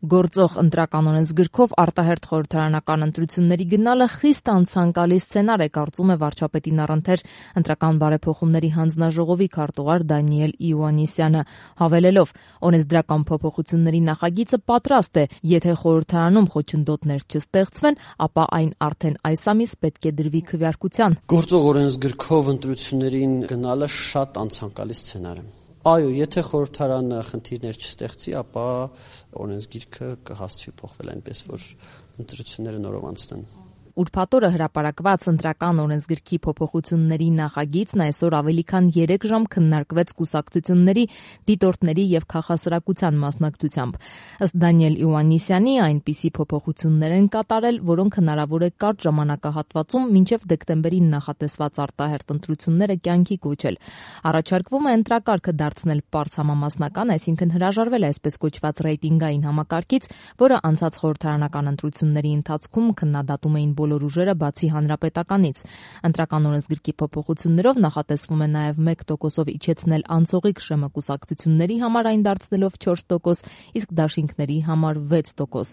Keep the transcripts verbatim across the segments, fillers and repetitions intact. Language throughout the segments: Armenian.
Գործող ընտրական օրենսգրքով արտահերթ խորհրդարանական ընտրությունների գնալը խիստ անցանկալի սցենար է, կարծում է վարչապետի նախընթեր ընտրական բարեփոխումների հանձնաժողովի քարտուղար Դանիել Իոաննիսյանը, հավելելով, օրենսդրական փոփոխությունների նախագիծը պատրաստ է, եթե խորհրդարանում խոչընդոտներ չստեղծվեն, ապա այն արդեն այս ամիս պետք է դրվի քվեարկության։ Գործող օրենսգրքով ընտրություններին գնալը շատ անցանկալի սցենար է։ Այո, եթե խորհրդարանը խնդիրներ չստեղծի, ապա օրենսգիրքը կհասցվի փոխվել այնպես, որ ընտրությունները նորով անցնեն։ Ուրբաթ օրը հրապարակված ընտրական օրենսգրքի փոփոխությունների նախագիծն այսօր ավելի քան երեք ժամ քննարկվեց կուսակցությունների, դիտորդների եւ քաղաքասրակության մասնակցությամբ։ Ըստ Դանիել Իոաննիսյանի, այնպիսի փոփոխություններ են կատարել, որոնք հնարավոր է կարճ ժամանակահատվածում մինչև դեկտեմբերին նախատեսված արտահերթ ընտրությունները կյանքի կոչել։ Առաջարկվում է ընտրակարգը դարձնել պարզ համամասնական, այսինքն հրաժարվել է այսպես կոչված ռեյտինգային համակարգից, որը անցած խորհրդարանական ընտրությունների ընթացքում քննադատում էին բոլոր ուժերը բացի հանրապետականից։ Ընտրական օրենսգրքի փոփոխություններով նախատեսվում է նաև մեկ տոկոսով իջեցնել անցողիկ շեմը կուսակցությունների համար, այն դարձնելով չորս տոկոս, իսկ դաշինքների համար վեց տոկոս։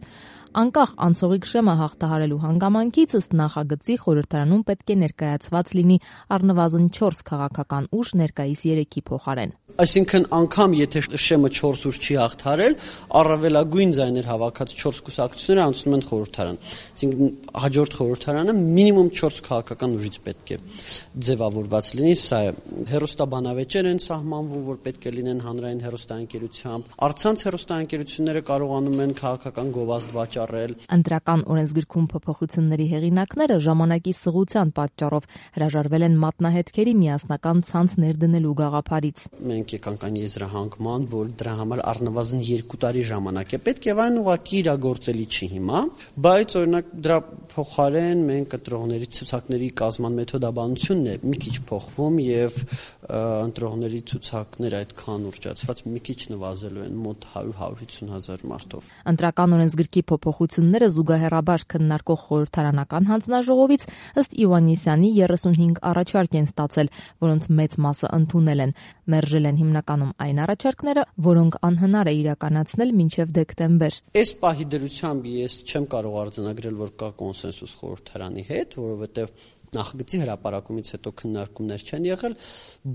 Անկախ անցողիկ շեմը հաղթահարելու հանգամանքից, ըստ նախագծի, խորհրդարանում պետք է ներկայացված լինի առնվազն չորս քաղաքական ուժ ներկայիս երեքի փոխարեն։ Այսինքն անգամ եթե շեմը չորս ուժ չի հաղթահարել, առավելագույն ձայներ հավաքած չորս կուսակցությունները անցնում են խորհրդարան։ Այսինքն հաջորդ խորհրդարանը մինիմում չորս քաղաքական ուժից պետք է ձևավորված լինի, սա է։ Հեռուստաբանավեճեր են սահմանվում, որ պետք է լինեն հանրային հեռուստաընկերությամբ։ Առցանց հեռուստաընկերությունները կարողանում են քաղաքական գովազդ վաճառել։ Ընտրական օրենսգրքում փոփոխությունների հեղինակները ժամանակի սղության պատճառով հրաժարվել են մատնահետքերի միասնական ցանց ներդնելու գաղափարից։ Մենք եկանք այն եզրահանգման, որ դրա համար առնվազն երկու տարի ժամանակ է պետք եւ այն ուղղակի իրագործելի չի հիմա, բայց օրինակ դրա փոխարեն մենք ընտրողների ցուցակների կազման մեթոդաբանությունն է մի քիչ փոխվում եւ ընտրողների ցուցակները այդքան ուռճացված մի քիչ նվազելու են մոտ հարյուր հարյուր հիսուն հազար մարդով։ Ընտրական օրենսգրքի փոփոխությունները զուգահեռաբար քննարկող խորհրդարանական հանձնաժողովից ըստ Իոաննիսյանի երեսունհինգ առաջարկ են ստացել, որոնց մեծ մասը ընդունել են։ Մերժել են հիմնականում այն առաջարկները, որոնք անհնար է իրականացնել մինչև դեկտեմբեր։ Այս պահի դրությամբ ես չեմ կարող արձանագրել, որ կա կոնսենսուս խորհրդարանի հետ, որովհետև նախագծի հրապարակումից հետո քննարկումներ չեն եղել,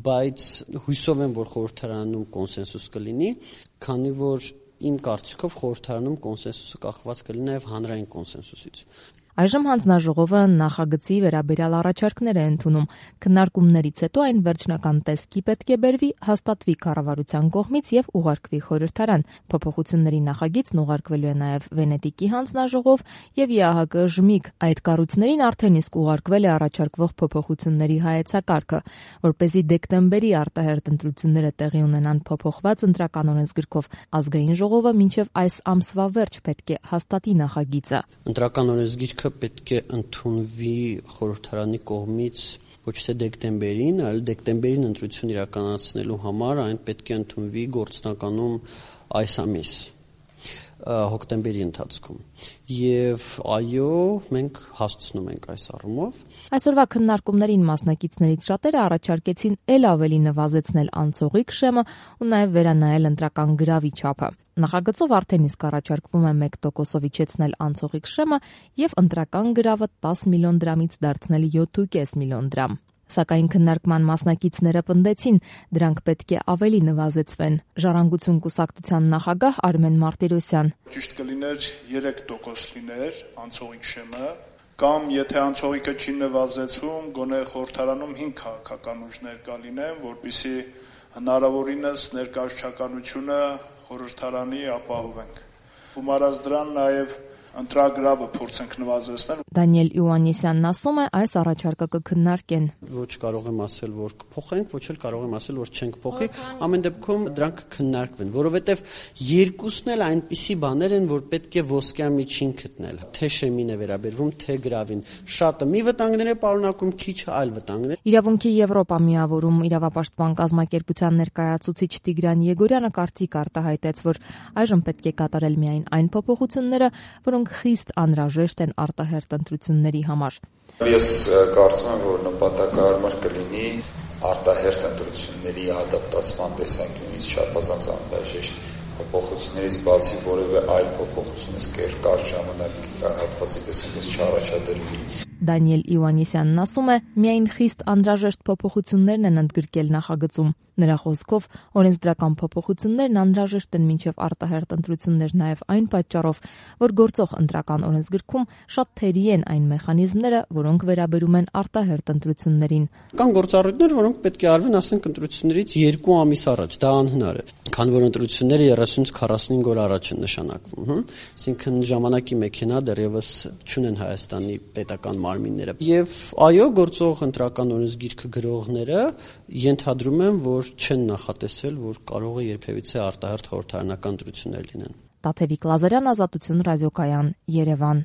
բայց հույսով եմ, որ խորհրդարանում կոնսենսուս կլինի, քանի որ իմ կարծիքով խորհրդարանում կոնսենսուսը կախված կլինի նաև հանրային կոնսենսուսից։ Այժմ հանձնաժողովը նախագծի վերաբերյալ առաջարկներ է ընդունում։ Քննարկումներից հետո այն վերջնական տեսքի պետք է բերվի, հաստատվի կառավարության կողմից եւ ուղարկվի խորհրդարան։ Փոփոխությունների նախագիծն ուղարկվելու է նաև Վենետիկի հանձնաժողով եւ ԵԱՀԿ-ԺՄԻԳ։ Այդ կառույցներին արդեն իսկ ուղարկվել է առաջարկվող փոփոխությունների հայեցակարգը, որպեսզի դեկտեմբերի արտահերթ ընտրությունները տեղի ունենան փոփոխված ընտրական օրենսգրքով, ազգային ժողովը մինչև այս ամսվա վերջ պետք է հաստատի նախագիծը։ Ընտրական օրենսգիրքը պետք է ընդունվի խորհրդարանի կողմից ոչ թե դեկտեմբերին, այլ դեկտեմբերին ընտրություն իրականացնելու համար այն պետք է ընդունվի գործնականում այս ամիս, հոկտեմբերի ընթացքում։ Եվ այո, մենք հասցնում ենք այս առումով։ Այսօրվա քննարկումներին մասնակիցներից շատերը առաջարկեցին ել ավելի նվազեցնել անցողիկ շեմը ու նաև վերանայել ընտրական գրավի չափը։ Նախագծով արդեն իսկ առաջարկվում է մեկ տոկոսով իջեցնել անցողիկ շեմը եւ ընտրական գրավը տասը միլիոն դրամից դարձնել յոթ կόμμα պենս միլիոն դրամ։ Սակայն քննարկման մասնակիցները պնդեցին, դրանք պետք է ավելի նվազեցվեն։ Ժառանգություն կուսակցության նախագահ Արմեն Մարտիրոսյան։ Ճիշտ կլիներ երեք տոկոս լիներ անցողիկ շեմը, կամ եթե անցողիկը չի նվազեցվում, գոնե խորհրդարանում հինգ քաղաքական ուժներ կա լինեն, որպեսզի հնարավորինս ներկայացչականությունը խորհրդարանի ապահովենք։ Գումարած դրան նաև ընտրագրավը փորձենք նվազեցնել։ Դանիել Իոաննիսյանն ասում է, այս առաջարկը կքննարկեն։ Ոչ կարող եմ ասել, որ կփոխենք, ոչ էլ կարող եմ ասել, որ չենք փոխի, ամեն դեպքում դրանք կքննարկվեն, որովհետև երկուսն էլ այնպիսի բաներ են, որ պետք է ոսկյա միջին գտնել։ Թե շեմին է վերաբերվում, թե գրավին։ Շատը մի վտանգներ է պարունակում, քիչը այլ վտանգներ։ Իրավունքի Եվրոպա միավորում իրավապաշտպան կազմակերպության ներկայացուցիչ Տիգրան Եգորյանը կարծիք արտահայտեց, որ այժմ պետք է կատարել միայն այն փոփոխությունները, որոնք խիստ անհրաժեշտ են արտահերթ ընտրությունների համար։ Ես կարծում եմ, որ նպատակահարմար կլինի արտահերթ ընտրությունների ադապտացման տեսանկյունից չափազանց անհրաժեշտ Փոփոխություններից բացի որևէ այլ փոփոխություն ըստ կար ժամանակի հատվածի տեսանկյունից չառաջադրվի։ Դանիել Իվանիսյանն ասում է, միայն խիստ անհրաժեշտ փոփոխություններն են ընդգրկել նախագծում։ Նրա խոսքով, օրենսդրական փոփոխություններն անհրաժեշտ են մինչև արտահերթ ընտրություններ նաև այն պատճառով, որ գործող ընտրական օրենսգրքում շատ թերի են այն մեխանիզմները, որոնք վերաբերում են արտահերթ ընտրություններին։ Կան գործառույթներ, որոնք պետք է արվեն, ասենք, ընտրություններից երկու ամիս առաջ, դա անհնար է, քանի որ ընտրությունները երեսունից քառասունհինգ օր առաջ են նշանակվում, հմ, այսինքն ժամանակի մեքենա դեռևս չունեն Հայաստանի պետական մարմինները։ Եվ այո, գործող ընտրական օրենսգիրքը գրողները ենթադրում են, որ չեն նախատեսել, որ կարող է երբևիցե արտահերթ խորհրդարանական ընտրություններ լինեն։ Տաթևիկ Լազարյան, Ազատություն ռադիոկայան, Երևան։